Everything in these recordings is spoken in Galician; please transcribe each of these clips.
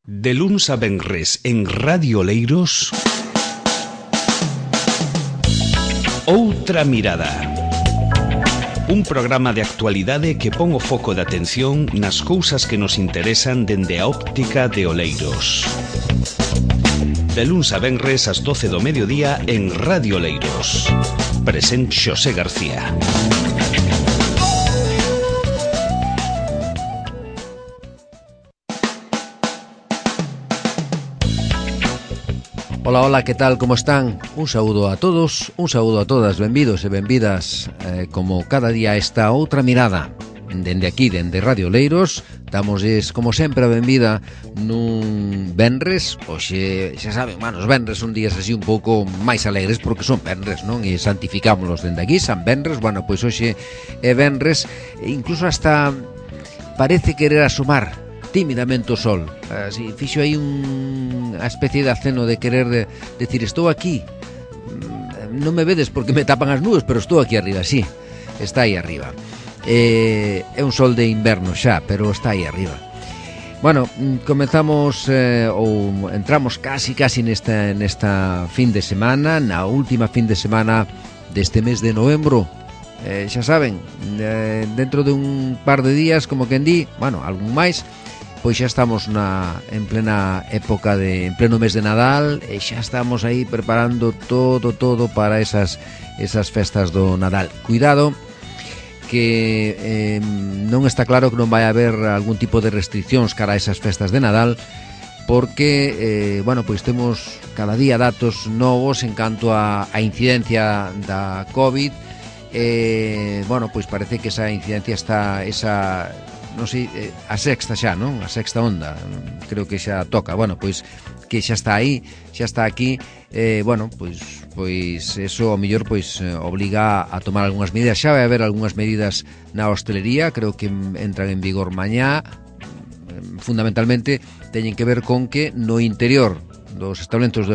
De luns a venres en Radio Oleiros, Outra Mirada. Un programa de actualidade que pon o foco de atención nas cousas que nos interesan dende a óptica de Oleiros. De luns a venres ás 12 do mediodía en Radio Oleiros. Presente Xosé García. Ola, ola, que tal, como están? Un saúdo a todos, un saúdo a todas, benvidos e benvidas como cada día esta outra mirada. Dende aquí, dende Radio Oleiros, damosles, como sempre, a benvida nun venres. Oxe, xa saben, os venres son días así un pouco máis alegres porque son venres, non? E santificámonos dende aquí, San Venres. Bueno, pois hoxe é venres, incluso hasta parece querer asomar tímidamente o sol. Así, fixo aí unha especie de aceno de querer decir, estou aquí, non me vedes porque me tapan as nubes, pero estou aquí arriba, sí, está aí arriba. É un sol de inverno xa, pero está aí arriba. Bueno, comenzamos ou entramos casi nesta fin de semana, na última fin de semana deste mes de novembro. Xa saben, dentro de un par de días, como quen di, bueno, algún máis, pois xa estamos en plena época en pleno mes de Nadal e xa estamos aí preparando todo para esas festas do Nadal. Cuidado que non está claro que non vai haber algún tipo de restriccións cara a esas festas de Nadal, porque bueno, pois temos cada día datos novos en canto a incidencia da COVID. Bueno, pois parece que esa incidencia está non sei, a sexta xa, non? A sexta onda, creo que xa toca. Bueno, pois que xa está aí, xa está aquí. Bueno, pois eso ao mellor pois obliga a tomar algunhas medidas. Xa vai haber algunhas medidas na hostelería, creo que entran en vigor mañá. Fundamentalmente teñen que ver con que no interior dos establecementos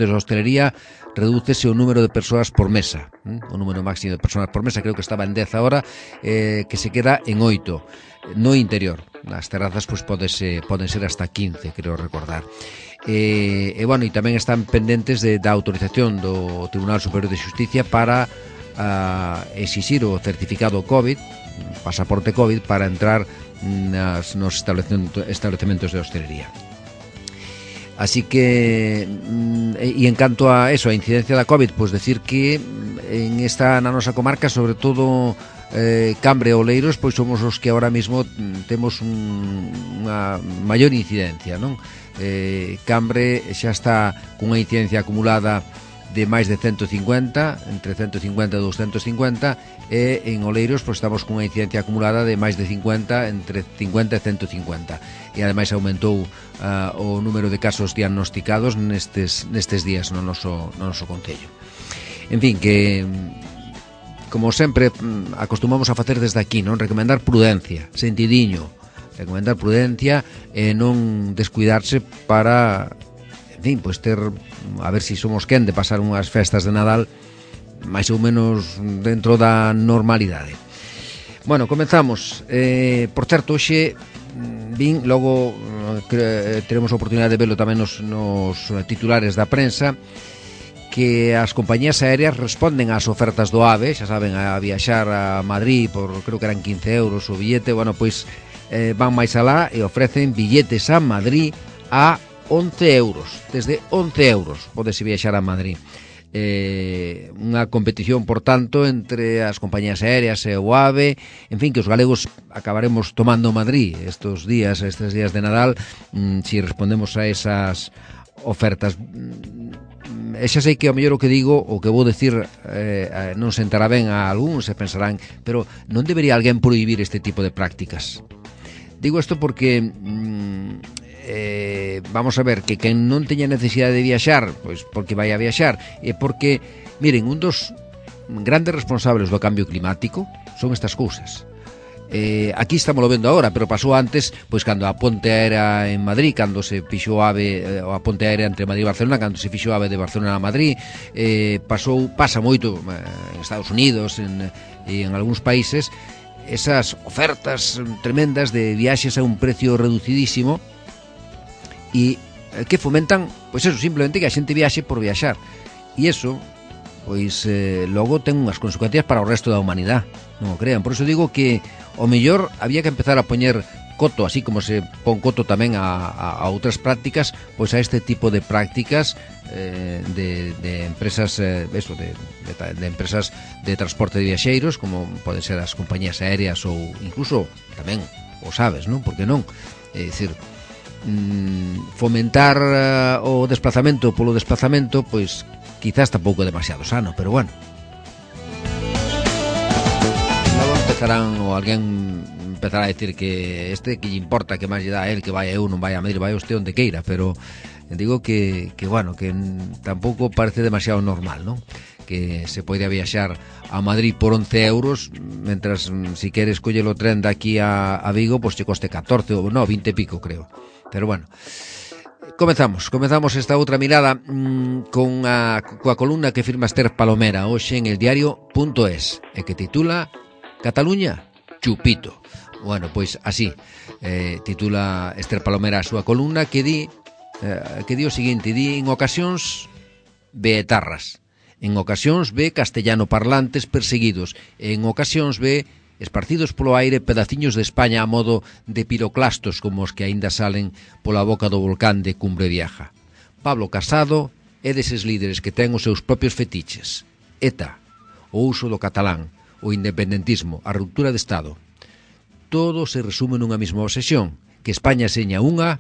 de hostelería redúcese o número de persoas por mesa, o número máximo de persoas por mesa, creo que estaba en 10 agora, que se queda en 8 no interior. Nas terrazas pois poden ser hasta 15, creo recordar. Bueno, e tamén están pendentes da autorización do Tribunal Superior de Xusticia para exixir o certificado COVID, pasaporte COVID, para entrar nos establecementos de hostelería. Así que, e en canto a eso, a incidencia da COVID, pois decir que na nosa comarca, sobre todo Cambre e Oleiros, pois somos os que ahora mismo temos unha maior incidencia, non? Cambre xa está cunha incidencia acumulada de máis de 150, entre 150 e 250, e en Oleiros pois estamos cunha incidencia acumulada de máis de 50, entre 50 e 150, e ademais aumentou o número de casos diagnosticados nestes días no noso concello. En fin, que como sempre acostumamos a facer desde aquí, non? Recomendar prudencia, sentidiño, recomendar prudencia e non descuidarse para, en fin, pois ter, a ver se somos quen de pasar unhas festas de Nadal máis ou menos dentro da normalidade. Bueno, comenzamos. Por certo, hoxe vin, logo teremos a oportunidade de verlo tamén nos titulares da prensa, que as compañías aéreas responden ás ofertas do AVE, xa saben, a viaxar a Madrid por, creo que eran 15 euros o billete. Bueno, pois van máis alá e ofrecen billetes a Madrid a 11 euros, desde 11 euros podese viaxar a Madrid. Unha competición, por tanto, entre as compañías aéreas e o AVE. En fin, que os galegos acabaremos tomando Madrid estes días de Nadal, si respondemos a esas ofertas. E xa sei que ao mellor o que digo, o que vou decir, non sentará ben a algúns, se pensarán, pero non debería alguén prohibir este tipo de prácticas? Digo isto porque vamos a ver, que quen non teña necesidade de viaxar, pois porque vai a viaxar, e porque, miren, un dos grandes responsables do cambio climático son estas cousas. Aquí estamos vendo agora, pero pasou antes, pois cando a ponte aérea en Madrid, cando se fixo a ponte aérea entre Madrid e Barcelona, cando se fixo a AVE de Barcelona a Madrid, pasa moito en Estados Unidos e en algúns países, esas ofertas tremendas de viaxes a un precio reducidísimo, e que fomentan, pois eso, simplemente que a xente viaxe por viaxar. E eso, pois logo ten unhas consecuencias para o resto da humanidade, non o crean. Por iso digo que o mellor había que empezar a poñer coto, así como se pon coto tamén a outras prácticas, pois a este tipo de prácticas de empresas eso, de empresas de transporte de viaxeiros, como poden ser as compañías aéreas ou incluso tamén os aves, non? Porque non? É dicir, fomentar o desplazamento polo desplazamento, pois quizás tampouco é demasiado sano, pero bueno. Logo empezarán ou alguén empezará a decir que que lle importa, que máis lle dá a él, que vai a eu, non vai a Madrid, vai a usted onde queira, pero digo que bueno, que tampouco parece demasiado normal, non? Que se pode viaxar a Madrid por 11 euros, mentras si queres coller o tren daqui a Vigo, pois te coste 14 ou no, 20 e pico, creo. Pero bueno, comezamos esta outra mirada coa columna que firma Esther Palomera hoxe en el diario.es e que titula Cataluña, chupito. Bueno, pois así titula Esther Palomera a súa columna, que di o seguinte: di en ocasións ve etarras, en ocasións ve castellano parlantes perseguidos, en ocasións ve esparcidos polo aire pedaciños de España a modo de piroclastos como os que aínda salen pola boca do volcán de Cumbre Vieja. Pablo Casado é deses líderes que ten os seus propios fetiches. ETA, o uso do catalán, o independentismo, a ruptura de Estado. Todo se resume nunha mesma obsesión, que España seña unha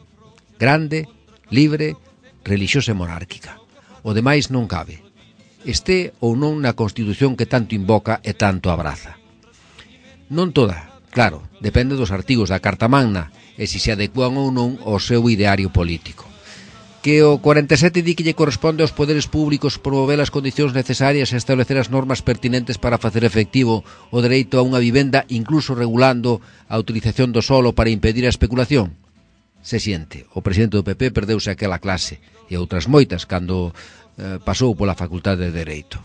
grande, libre, relixiosa e monárquica. O demais non cabe. Este ou non na Constitución que tanto invoca e tanto abraza. Non toda, claro, depende dos artigos da Carta Magna e se se adecuan ou non ao seu ideario político. Que o 47 di que lle corresponde aos poderes públicos promover as condicións necesarias e establecer as normas pertinentes para facer efectivo o dereito a unha vivenda, incluso regulando a utilización do solo para impedir a especulación. Se siente, o presidente do PP perdeuse aquela clase e outras moitas cando pasou pola Facultade de Dereito.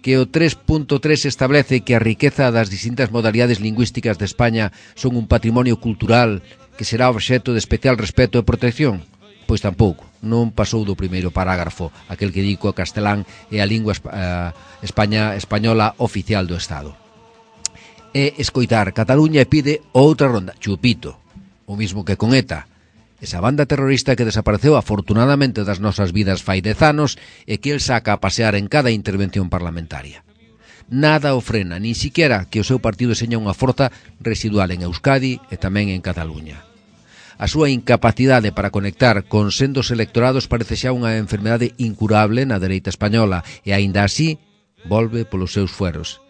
Que o 3.3 establece que a riqueza das distintas modalidades lingüísticas de España son un patrimonio cultural que será obxecto de especial respeto e protección. Pois tampouco, non pasou do primeiro parágrafo, aquel que di que o castelán é a lingua española oficial do Estado. E escoitar Cataluña e pide outra ronda, chupito, o mismo que con ETA, esa banda terrorista que desapareceu afortunadamente das nosas vidas fai 10 anos e que el saca a pasear en cada intervención parlamentaria. Nada o frena, nin siquiera que o seu partido seña unha forza residual en Euskadi e tamén en Cataluña. A súa incapacidade para conectar con sendos electorados parece xa unha enfermedade incurable na dereita española e aínda así volve polos seus fueros.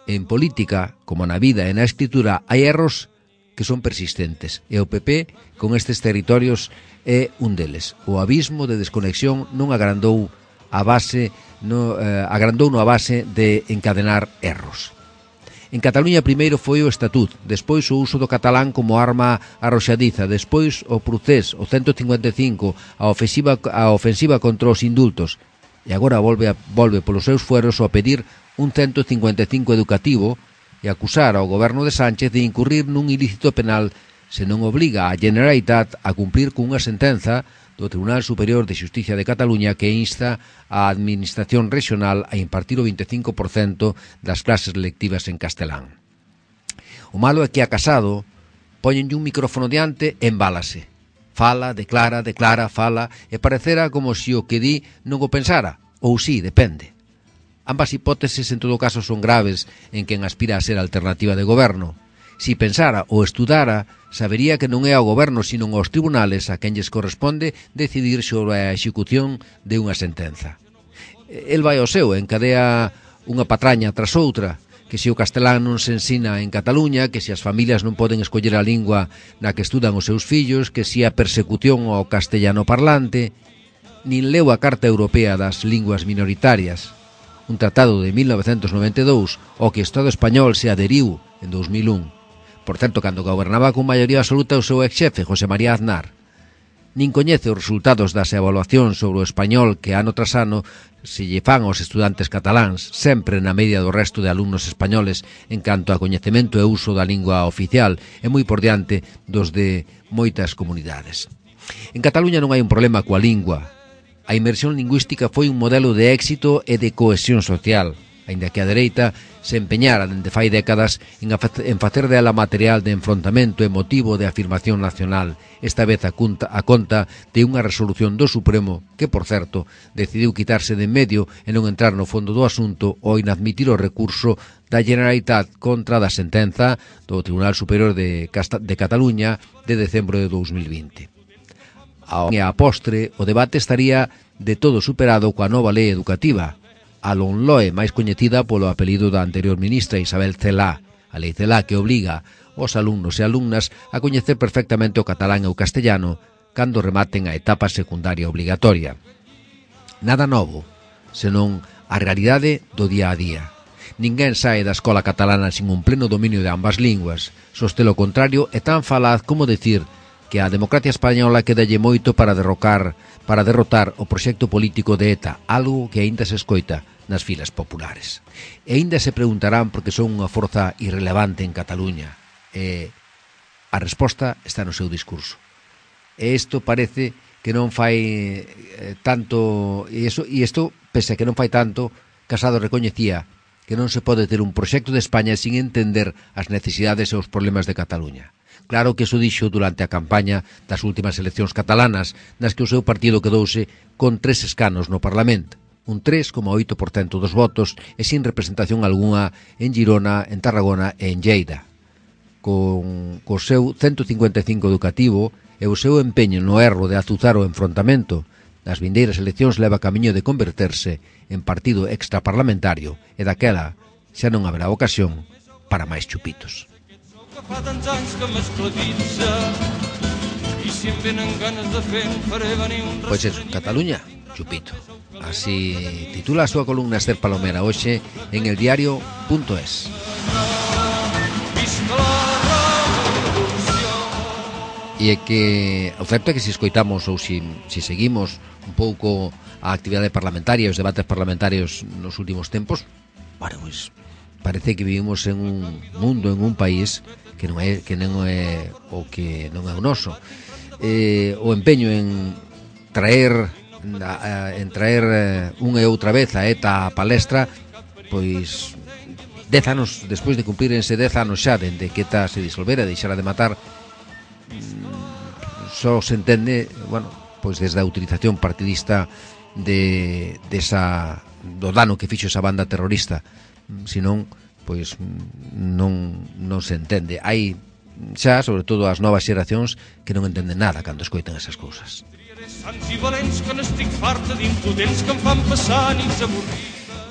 En política, como na vida e na escritura, hai erros que son persistentes e o PP con estes territorios é un deles. O abismo de desconexión non agrandou a base agrandouno a base de encadenar erros. En Cataluña primeiro foi o Estatut, despois o uso do catalán como arma arroxadiza, despois o procés, o 155, a ofensiva contra os indultos, e agora volve polos seus fueros a pedir un 155 educativo e acusar ao goberno de Sánchez de incurrir nun ilícito penal se non obriga a Generalitat a cumplir cunha sentenza do Tribunal Superior de Xustiza de Cataluña que insta a Administración Regional a impartir o 25% das clases lectivas en castelán. O malo é que a Casado poñenlle un micrófono diante e embálase. Fala, declara, fala, e parecerá como se o que di non o pensara, ou si, depende. Ambas hipóteses en todo caso son graves en quen aspira a ser alternativa de goberno. Si pensara ou estudara, sabería que non é ao goberno sino aos tribunales a quen lles corresponde decidir sobre a execución de unha sentenza. El vai ao seu, encadea unha patraña tras outra, que se o castelán non se ensina en Cataluña, que se as familias non poden escoller a lingua na que estudan os seus fillos, que se a persecución ao castellano parlante, nin leu a Carta Europea das Linguas Minoritarias, un tratado de 1992 ao que o Estado español se adheriu en 2001. Por certo, cando gobernaba con maioría absoluta o seu ex-xefe, José María Aznar. Nin coñece os resultados das evaluacións sobre o español que ano tras ano se lle fan aos estudantes cataláns, sempre na media do resto de alumnos españoles en canto a coñecemento e uso da lingua oficial e moi por diante dos de moitas comunidades. En Cataluña non hai un problema coa lingua. A inmersión lingüística foi un modelo de éxito e de cohesión social, aínda que a dereita se empeñara dende fai décadas en facer dela material de enfrontamento e motivo de afirmación nacional, esta vez a conta de unha resolución do Supremo que, por certo, decidiu quitarse de en medio e non entrar no fondo do asunto ao inadmitir o recurso da Generalitat contra da sentenza do Tribunal Superior de Cataluña de decembro de 2020. A postre, o debate estaría de todo superado coa nova lei educativa, a LOMLOE, máis coñecida polo apelido da anterior ministra Isabel Celaá, a lei Celaá que obriga os alumnos e alumnas a coñecer perfectamente o catalán e o castellano cando rematen a etapa secundaria obligatoria. Nada novo, senón a realidade do día a día. Ninguén sae da escola catalana sin un pleno dominio de ambas linguas. Soste lo contrario é tan falaz como decir que a democracia española quedalle moito para derrotar o proxecto político de ETA, algo que aínda se escoita nas filas populares. E aínda se preguntarán por que son unha forza irrelevante en Cataluña. E a resposta está no seu discurso. E isto parece que non fai tanto, e isto, pese a que non fai tanto, Casado recoñecía que non se pode ter un proxecto de España sin entender as necesidades e os problemas de Cataluña. Claro que iso dixo durante a campaña das últimas eleccións catalanas, nas que o seu partido quedouse con 3 escanos no Parlamento, un 3,8% dos votos e sin representación algunha en Girona, en Tarragona e en Lleida. Con o seu 155 educativo e o seu empeño no erro de azuzar o enfrontamento, nas vindeiras eleccións leva camiño de converterse en partido extraparlamentario e daquela xa non haberá ocasión para máis chupitos. Fa tants anys que m'esclavitza i si em venen ganes de fer en faré venir un... Pois eso, Cataluña, chupito. Así titula a súa columna Esther Palomera hoxe en eldiario.es. E é que o certo é que se escoitamos ou se seguimos un pouco a actividade parlamentaria, os debates parlamentarios nos últimos tempos, bueno, pois parece que vivimos en un mundo, en un país que non é o que non é o noso. O empeño en traer unha e outra vez a ETA a palestra, pois 10 anos despois de cumprírense 10 anos xa dende que ETA se disolvera, deixara de matar, só se entende, bueno, pois desde a utilización partidista do dano que fixo esa banda terrorista. Senón, pois non se entende. Hai xa, sobre todo as novas xeracións, que non entenden nada cando escoitan esas cousas.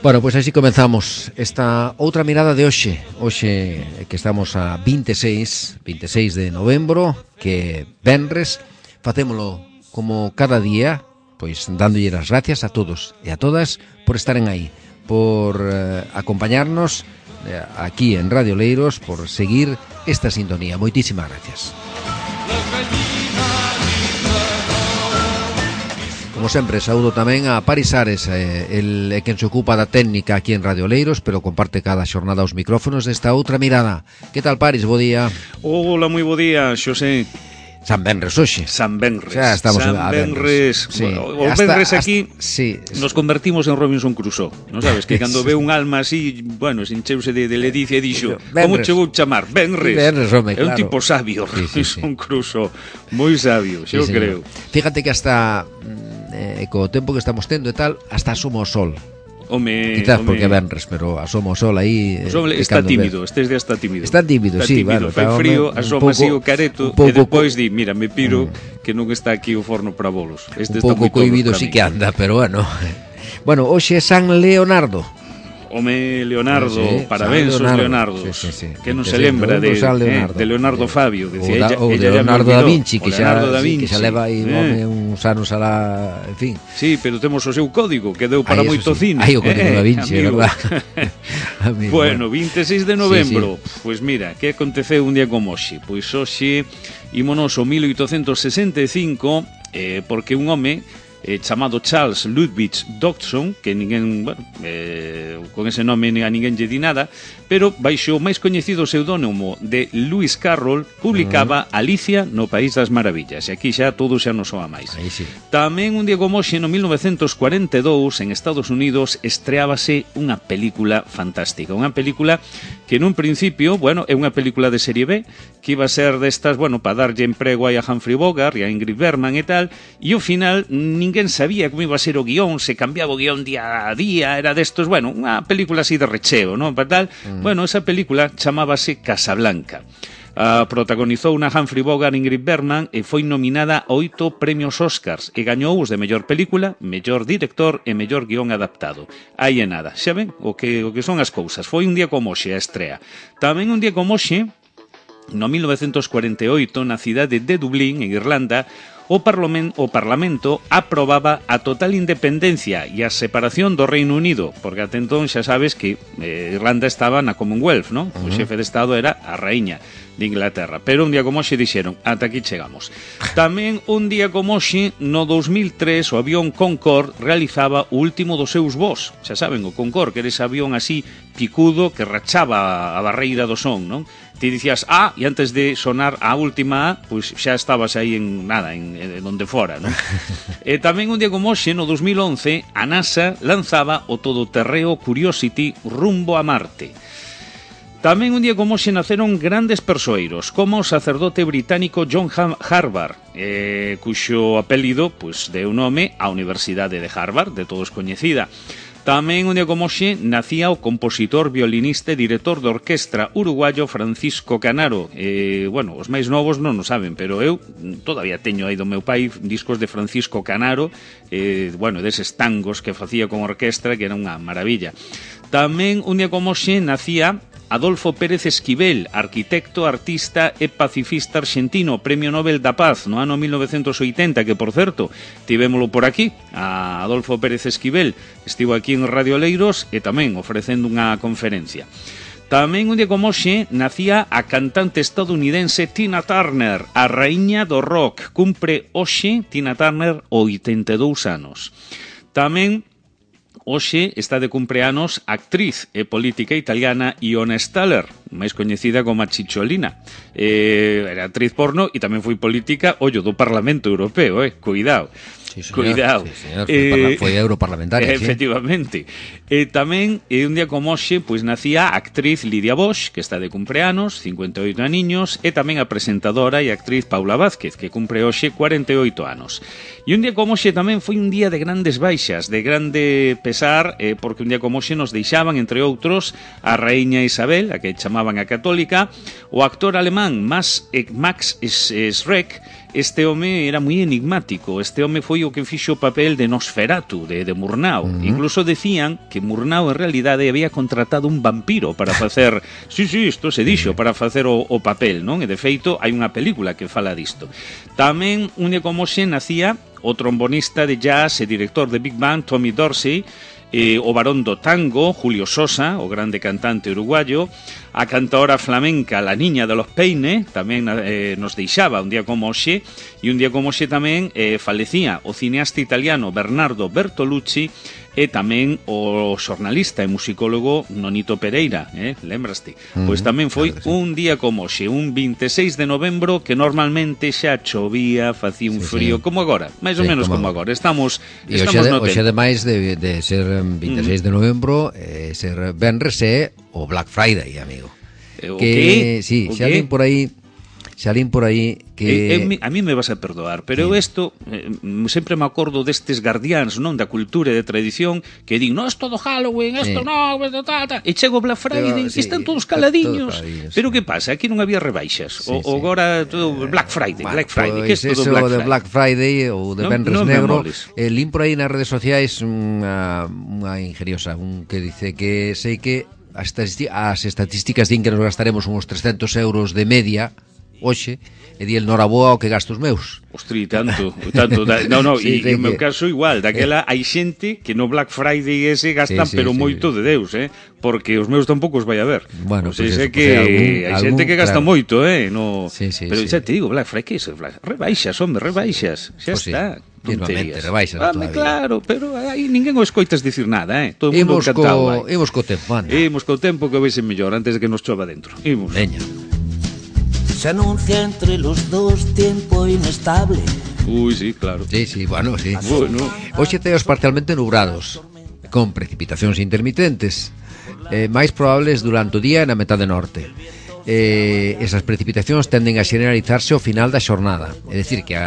Bueno, pois así comenzamos esta outra mirada de hoxe. Hoxe que estamos a 26 de novembro, que venres, facémolo como cada día, pois dándolle as gracias a todos e a todas por estaren aí, por acompañarnos aquí en Radio Leiros, por seguir esta sintonía. Moitísimas gracias. Como sempre, saúdo tamén a Paris Ares, el quen se ocupa da técnica aquí en Radio Leiros, pero comparte cada xornada os micrófonos desta outra mirada. Que tal, Paris? Bo día. Hola, moi bo día, Xosé. San Benres hoxe. San Benres. Xa estamos San Benres. Sí. Bueno, o Benres aquí sí. Nos convertimos en Robinson Crusoe. Non sabes que cando ve un alma así, bueno, sincheuse de ledicia e dixo, como che vou chamar? Benres. Benres, home, claro. É un claro. tipo sabio, Robinson Crusoe. Moi sabio, xa o creo. Fíjate que hasta co tempo que estamos tendo e tal, hasta asoma o sol. Quizás porque venres, pero asoma o sol aí. O sol está tímido, estes días está tímido. Está tímido, sí, bueno, fai frío, asoma así o careto e depois di, mira, me piro que non está aquí o forno para bolos. Este un pouco cohibido sí que anda, pero bueno. Bueno, hoxe é San Leonardo. Home, Leonardo, parabéns aos Leonardos, sí. Que non se lembra de Leonardo Fabio, decía ella, de Leonardo da Vinci, que xa leva aí uns anos alá, en fin. Sí, pero temos o seu código que deu para moito cine. Aí o código da Vinci, verdad? Bueno, 26 de novembro, pois mira, que aconteceu un día como hoxe? Pois hoxe ímonos o 1865, porque un home chamado Charles Ludwig Dodgson, que ninguén, bueno, con ese nome a ninguén lle di nada, pero baixo o máis coñecido pseudónimo de Lewis Carroll publicaba Alicia no País das Maravillas, e aquí xa todo xa non soa máis. Sí. Tamén un día como hoxe, no 1942, en Estados Unidos, estreábase unha película fantástica, unha película que nun principio, bueno, é unha película de serie B, que iba a ser destas, bueno, para darlle emprego aí a Humphrey Bogart e a Ingrid Bergman e tal, e ao final ninguén sabía como iba a ser o guión, se cambiaba o guión día a día, era destos, bueno, unha película así de recheo, non? Para tal, bueno, esa película chamábase Casablanca. Protagonizou unha Humphrey Bogart e Ingrid Bergman e foi nominada a 8 premios Oscars e gañou os de mellor película, mellor director e mellor guión adaptado. Aí é nada, xa ven o que son as cousas. Foi un día como hoxe a estrea. Tamén un día como hoxe, no 1948, na cidade de Dublín, en Irlanda, o Parlamento aprobaba a total independencia e a separación do Reino Unido, porque até entón xa sabes que Irlanda estaba na Commonwealth, non? O xefe de Estado era a raíña de Inglaterra, pero un día como hoxe dixeron, ata aquí chegamos. Tamén un día como hoxe, no 2003, o avión Concorde realizaba o último dos seus voos. Xa saben, o Concorde, que era ese avión así picudo que rachaba a barreira do son, non? Ti dicías A e antes de sonar a última A, pois xa estabas aí en nada, en donde fora, non? E tamén un día como hoxe, no 2011, a NASA lanzaba o todoterreo Curiosity rumbo a Marte. Tamén un día como hoxe naceron grandes persoeiros, como o sacerdote británico John Harvard, cuxo apelido pois, deu nome á Universidade de Harvard, de todos coñecida. Tamén un día como hoxe nacía o compositor, violinista e director de orquestra uruguayo Francisco Canaro. Bueno, os máis novos non o saben, pero eu todavía teño aí do meu pai discos de Francisco Canaro, bueno, deses tangos que facía con orquestra, que era unha maravilla. Tamén un día como hoxe nacía Adolfo Pérez Esquivel, arquitecto, artista e pacifista argentino, Premio Nobel da Paz no ano 1980, que, por certo, tivémolo por aquí, a Adolfo Pérez Esquivel, estivo aquí en Radio Oleiros e tamén ofrecendo unha conferencia. Tamén un día como hoxe nacía a cantante estadounidense Tina Turner, a raíña do rock. Cumpre hoxe Tina Turner 82 anos. Tamén hoxe está de cumpleanos a actriz e política italiana Iona Staller, máis coñecida como a Cicciolina. Era actriz porno e tamén foi política, ollo, do Parlamento Europeo, cuidado. Sí, señor. Cuidado. Sí, señor. Foi europarlamentaria. Efectivamente. Tamén, un día como hoxe, pois nacía a actriz Lidia Bosch, que está de cumpleanos, 58 aniños, e tamén a presentadora e actriz Paula Vázquez, que cumpre hoxe 48 anos. E un día como hoxe tamén foi un día de grandes baixas, de grande pesar, porque un día como hoxe nos deixaban, entre outros, a raíña Isabel, a que chamaban a católica, o actor alemán Max Schreck. Este home era moi enigmático. Este home foi o que fixo o papel de Nosferatu, de Murnau. Incluso decían que Murnau en realidade había contratado un vampiro para facer... Sí, isto se dixo, para facer o papel, non? E de feito hai unha película que fala disto. Tamén un día como hoxe nacía o trombonista de jazz e director de Big Band Tommy Dorsey, o barón do tango Julio Sosa, o grande cantante uruguayo, a cantaora flamenca La Niña de los Peines, tamén nos deixaba un día como hoxe, e un día como hoxe tamén falecía o cineasta italiano Bernardo Bertolucci, e tamén o xornalista e musicólogo Nonito Pereira, lembraste? Pois tamén foi un día como hoxe, un 26 de novembro, que normalmente xa chovía, facía un frío, como agora, máis ou menos como agora. Estamos no tempo. Hoxe, ademais de ser 26 de novembro, ser venres é o Black Friday, amigo. O que? Sí, xa lín por aí que... A mí me vas a perdoar, pero isto sempre me acordo destes guardiáns, non, da cultura e da tradición, que din, non, isto do Halloween, isto non, e chego Black Friday, e están todos caladiños. Pero que pasa? Aquí non había rebaixas. Agora todo Black Friday, que isto do Black Friday? De Black Friday ou de Venres Negro, lín por aí nas redes sociais unha ingeniosa, que dice que sei que as estatísticas din que nos gastaremos uns 300 euros de media hoxe, e di el noraboa o que gasto os meus. Ostri, tanto. Sí, e no meu caso igual, daquela hai xente que no Black Friday ese gastan pero moito de Deus, porque os meus tampouco os vai a ver. Bueno, pues sei que hai xente que gasta moito, no. Pero xa te digo, Black Friday, que é rebaixas, hombre, rebaixas. Xa está. Tonterías. Rebaixas todavía. Claro, pero aí ninguén o escoitas dicir nada, Todo o mundo encantado. Imos co tempo, anda. Imos co tempo que veise mellor antes de que nos chova dentro. Imos. Veña. Se anuncia entre los dos tiempo inestable. Uy, sí, claro. Sí, bueno, sí. Bueno. Hoxe teos parcialmente nubrados, con precipitacións intermitentes, máis probables durante o día na metade norte. Esas precipitacións tenden a xeneralizarse ao final da xornada, é dicir que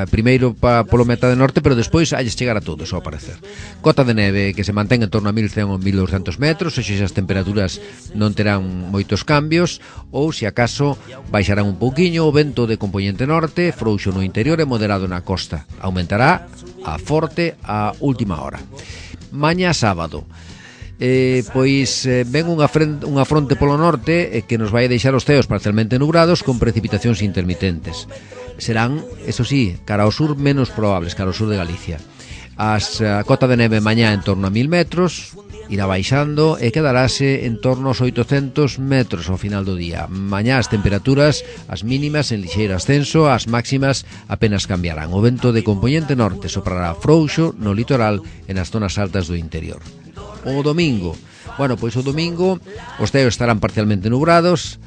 primeiro polo metade norte, pero despois halles chegar a todos ao parecer. Cota de neve que se mantén en torno a 1100 ou 1200 metros, e as temperaturas non terán moitos cambios, ou se acaso baixarán un pouquiño. O vento de compoñente norte, frouxo no interior e moderado na costa, aumentará a forte a última hora. Mañá sábado, ven unha fronte polo norte que nos vai a deixar os ceos parcialmente nubrados con precipitacións intermitentes. Serán, eso sí, cara ao sur menos probables, cara ao sur de Galicia. A cota de neve mañá en torno a 1000 metros, irá baixando e quedarase en torno aos 800 metros ao final do día. Mañá as temperaturas, as mínimas en lixeiro ascenso, as máximas apenas cambiarán. O vento de compoñente norte soprará frouxo no litoral e nas zonas altas do interior. O domingo, o domingo os ceos estarán parcialmente nubrados,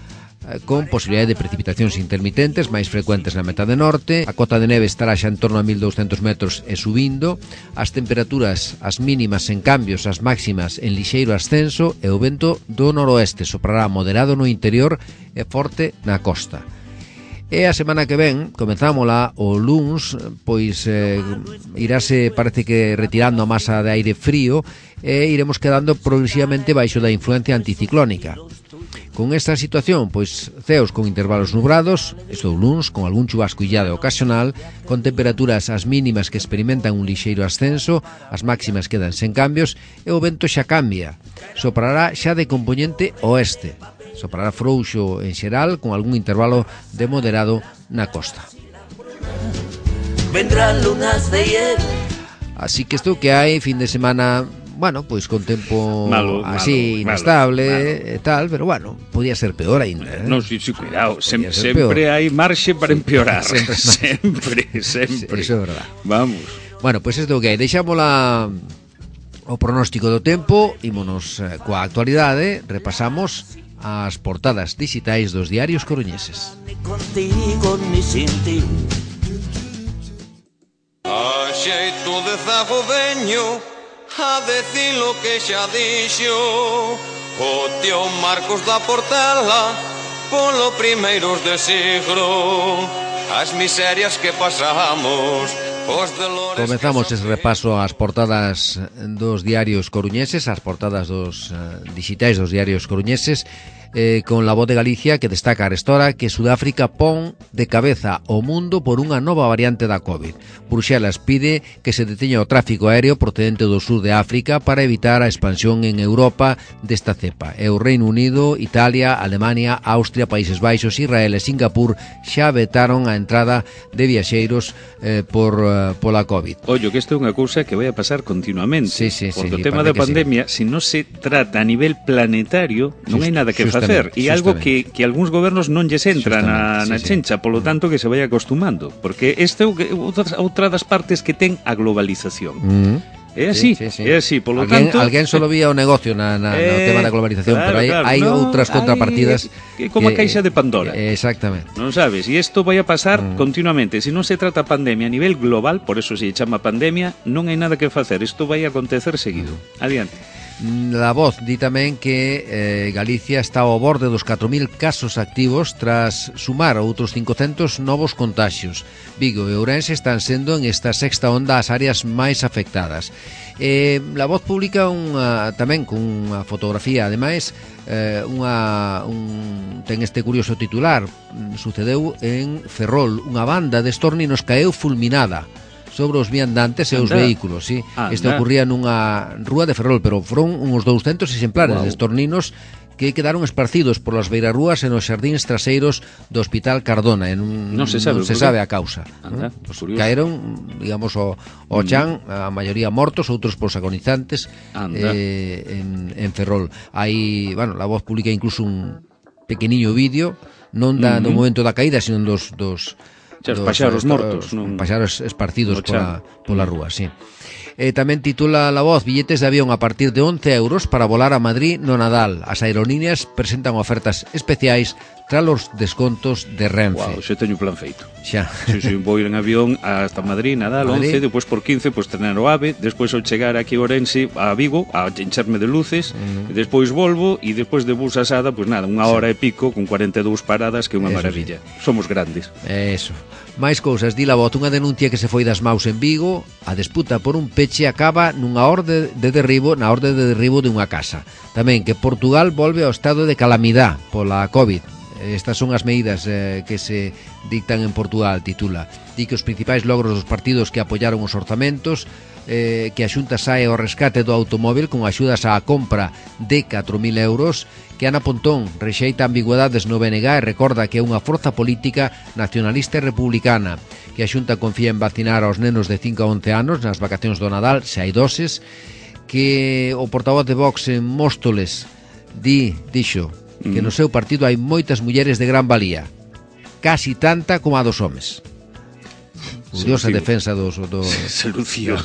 con posibilidade de precipitacións intermitentes máis frecuentes na metade norte. A cota de neve estará xa en torno a 1200 metros e subindo. As temperaturas, as mínimas en cambios, as máximas en lixeiro ascenso, e o vento do noroeste soprará moderado no interior e forte na costa. E a semana que ven, comenzámola o luns, irase, parece que retirando a masa de aire frío, e iremos quedando progresivamente baixo da influencia anticiclónica. Con esta situación, ceos con intervalos nubrados, isto o luns, con algún chubasco illado ocasional, con temperaturas as mínimas que experimentan un lixeiro ascenso, as máximas quedan sen cambios, e o vento xa cambia, soprará xa de compoñente oeste. Soprará frouxo en xeral, con algún intervalo de moderado na costa. Vendrán lunas de hielo. Así que isto que hai fin de semana, con tempo así inestable e tal, pero podía ser peor aínda. Non, sí, cuidado, sempre hai marxe para empeorar. Sempre. Eso é verdad. Vamos. Isto que hai, deixámola o pronóstico do tempo, ímonos coa actualidade, repasamos as portadas digitais dos diarios coruñeses. Ni contigo ni sin ti. A xeito de zago veño a decir lo que xa dixo o tío Marcos da Portela polo primeiros de siglo, as miserias que pasamos. Comezamos ese repaso ás portadas dos diarios coruñeses, as portadas dos digitais dos diarios coruñeses, con La Voz de Galicia, que destaca arestora que Sudáfrica pon de cabeza o mundo por unha nova variante da COVID. Bruxelas pide que se deteña o tráfico aéreo procedente do sur de África para evitar a expansión en Europa desta cepa. E o Reino Unido, Italia, Alemania, Austria, Países Baixos, Israel e Singapur xa vetaron a entrada de viaxeiros pola COVID. Ollo, que isto é unha cousa que vai a pasar continuamente. Porque o tema da pandemia, se non se trata a nivel planetario, non hai nada que facer. E algo que algúns gobernos non lles entra na chencha, polo tanto que se vai acostumando. Porque esta é outra das partes que ten a globalización. É así, é así, polo tanto... Alguén solo vía o negocio no tema da globalización, pero hai outras contrapartidas... É como a caixa de Pandora. Exactamente. Non sabes, e isto vai a pasar continuamente. Se non se trata pandemia a nivel global, por eso se chama pandemia, non hai nada que facer. Isto vai a acontecer seguido. Adiante. La Voz di tamén que Galicia está ao borde dos 4.000 casos activos tras sumar outros 500 novos contaxios. Vigo e Ourense están sendo en esta sexta onda as áreas máis afectadas. La Voz publica tamén con unha fotografía, ademais, ten este curioso titular. Sucedeu en Ferrol, unha banda de estorninos caeu fulminada sobre os viandantes e os vehículos, sí. Isto ocurría nunha rúa de Ferrol, pero foron uns 200 exemplares de estorninos que quedaron esparcidos polas beirarrúas e nos xardíns traseiros do Hospital Cardona. Non se sabe a causa. Anda, caeron, digamos, o chan, a maioría mortos, outros polos agonizantes, en Ferrol. Hai, bueno, La Voz publica incluso un pequeniño vídeo, non do momento da caída, sino dos paxaros mortos, paxaros esparcidos pola rúa, sí. Tamén titula La Voz: billetes de avión a partir de 11 euros para volar a Madrid no Nadal. As aerolíneas presentan ofertas especiais tras os descontos de Renfe. Wow, xa teño plan feito. Xa. Si vou ir en avión hasta Madrid, Nadal, 11, depois por 15, pois tener o AVE, despois ao chegar aquí a Ourense, a Vigo, a encharme de luces, despois volvo, e despois de bus asada, pois nada, unha hora e pico, con 42 paradas, que é unha maravilla. Sí. Somos grandes. Eso. Máis cousas, di La Voz: unha denuncia que se foi das maus en Vigo. A disputa por un peche acaba nunha na orde de derribo dunha casa. Tamén que Portugal volve ao estado de calamidade pola COVID. Estas son as medidas que se dictan en Portugal, titula. Di que os principais logros dos partidos que apoiaron os orzamentos, que a Xunta sae ao rescate do automóbil con axudas á compra de 4.000 euros, que Ana Pontón rexeita ambigüedades no BNG e recorda que é unha forza política nacionalista e republicana, que a Xunta confía en vacinar aos nenos de 5 a 11 anos nas vacacións do Nadal, se hai doses, que o portavoz de Vox en Móstoles dixo que no seu partido hai moitas mulleres de gran valía, casi tanta como a dos homes. Curiosa defensa das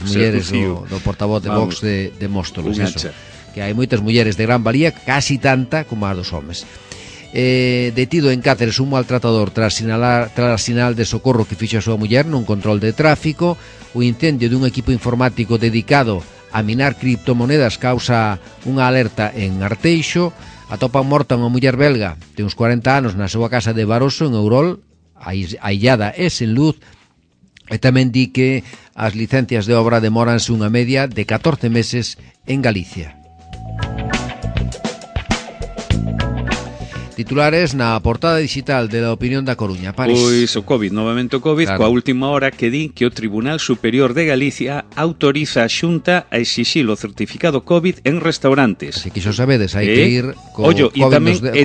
mulleres do portavoz de Vox de Móstoles, eso, que hai moitas mulleres de gran valía, casi tanta como a dos homes. Detido en Cáceres un maltratador tras sinal de socorro que fixo a súa muller nun control de tráfico. O incendio dun equipo informático dedicado a minar criptomonedas causa unha alerta en Arteixo. Atopan morta unha muller belga de uns 40 anos na súa casa de Baroso, en Ourol, aillada e sen luz. E tamén di que as licencias de obra demóranse unha media de 14 meses en Galicia. Titulares na portada digital de La Opinión da Coruña, París. Pois o COVID, novamente o COVID, claro. Coa última hora que di que o Tribunal Superior de Galicia autoriza a Xunta a exixir o certificado COVID en restaurantes. Se quixo sabedes, hai que ir co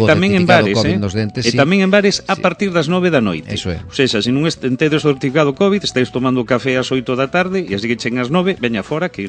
tamén en bares, dentes, e tamén en bares a partir das 9 da noite. Eso é. O sea, se non tedes o certificado COVID, estáis tomando café ás 8 da tarde e así que chen ás 9, veña fora que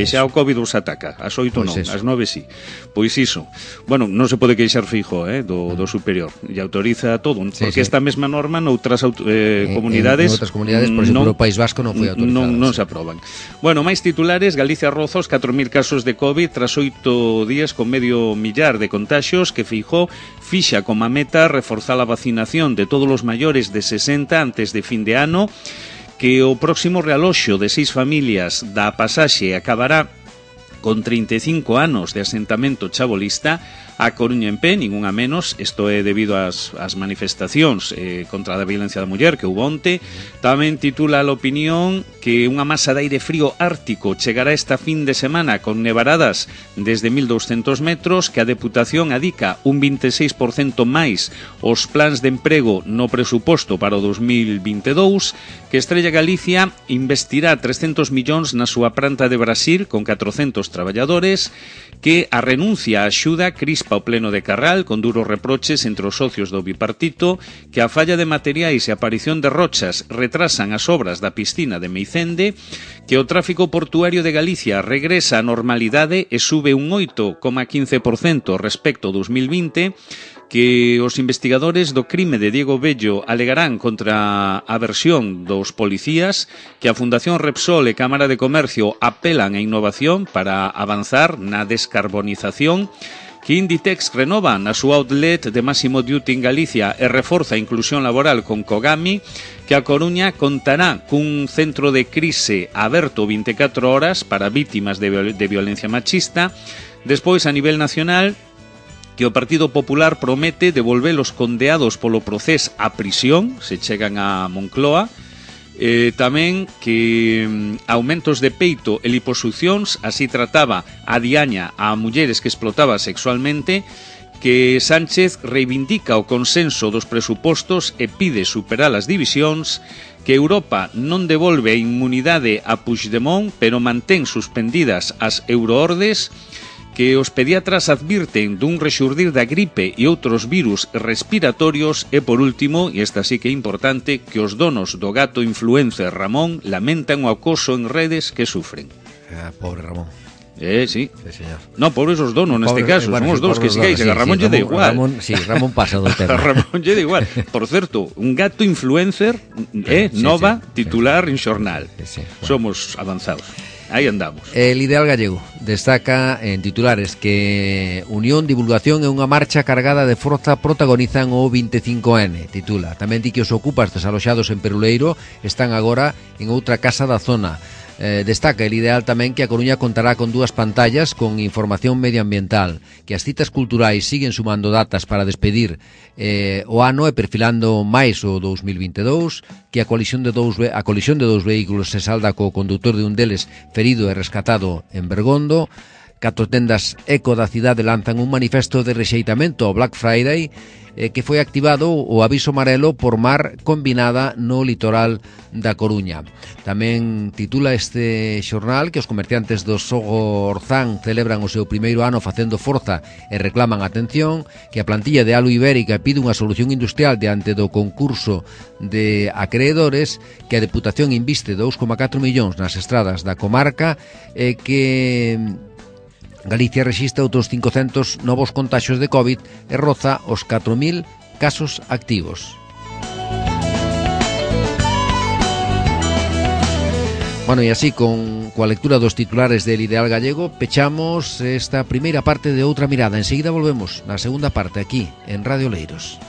xa o COVID os ataca. Ás 8 non, ás 9 sí. Pois iso. Bueno, non se pode queixar fijo, do superior, e autoriza todo, porque esta mesma norma noutras comunidades, en outras comunidades, por exemplo, o País Vasco non foi autorizada. Non se aproban. Bueno, máis titulares: Galicia roza os 4.000 casos de COVID tras 8 días con medio millar de contaxios, que Feijóo fixa como a meta reforzar a vacinación de todos os maiores de 60 antes de fin de ano, que o próximo realoxo de 6 familias da Pasaxe acabará con 35 anos de asentamento chabolista. A Coruña en pé, ningunha menos. Isto é debido ás manifestacións contra a violencia da muller que houve onte. Tamén titula a Opinión que unha masa de aire frío ártico chegará esta fin de semana con nevaradas desde 1.200 metros, que a Deputación adica un 26% máis os plans de emprego no presuposto para o 2022, que Estrella Galicia investirá 300 millóns na súa planta de Brasil con 400 traballadores, que a renuncia á axuda crispa o pleno de Carral con duros reproches entre os socios do bipartito, que a falla de materiais e a aparición de rochas retrasan as obras da piscina de Meicende, que o tráfico portuario de Galicia regresa á normalidade e sube un 8,15% respecto ao 2020, que os investigadores do crime de Diego Bello alegarán contra a versión dos policías, que a Fundación Repsol e Cámara de Comercio apelan a innovación para avanzar na descarbonización, que Inditex renova na súa outlet de Máximo Duty en Galicia e reforza a inclusión laboral con Cogami, que a Coruña contará cun centro de crise aberto 24 horas para vítimas de violencia machista. Despois, a nivel nacional, que o Partido Popular promete devolver os condeados polo procés á prisión, se chegan a Moncloa. Tamén que aumentos de peito e liposuccións, así trataba a Diaña a mulleres que explotaba sexualmente, que Sánchez reivindica o consenso dos presupostos e pide superar as divisións, que Europa non devolve a inmunidade a Puigdemont, pero mantén suspendidas as euroordes, que os pediatras advirten dun rexurdir da gripe e outros virus respiratorios e, por último, e esta sí que é importante, que os donos do gato influencer Ramón lamentan o acoso en redes que sufren. Pobre Ramón. Sí. Sí, señor. No, pobres os donos neste caso, son os dous que sigáis, a Ramón lle da igual. Ramón pasa do tema. Ramón lle da igual. Por certo, un gato influencer nova titular en xornal. Sí, bueno. Somos avanzados. Aí andamos. El Ideal Gallego destaca en titulares que Unión, Divulgación e unha marcha cargada de forza protagonizan o 25N, titula. Tamén di que os ocupas desaloxados en Peruleiro están agora en outra casa da zona. Destaca el Ideal tamén que a Coruña contará con 2 pantallas con información medioambiental, que as citas culturais siguen sumando datas para despedir o ano e perfilando máis o 2022, que a colisión de dous vehículos se salda co conductor de un deles ferido e rescatado en Bergondo. 4 tendas eco da cidade lanzan un manifesto de rexeitamento ao Black Friday, que foi activado o aviso amarelo por mar combinada no litoral da Coruña. Tamén titula este xornal que os comerciantes do Sogo Orzán celebran o seu primeiro ano facendo forza e reclaman atención, que a plantilla de Alu Ibérica pide unha solución industrial diante do concurso de acreedores, que a Deputación inviste 2,4 millóns nas estradas da comarca, que Galicia rexistra outros 500 novos contaxios de COVID e roza os 4.000 casos activos. Bueno, e así, coa lectura dos titulares del Ideal Gallego, pechamos esta primeira parte de Outra Mirada. Enseguida volvemos na segunda parte aquí, en Radio Leiros.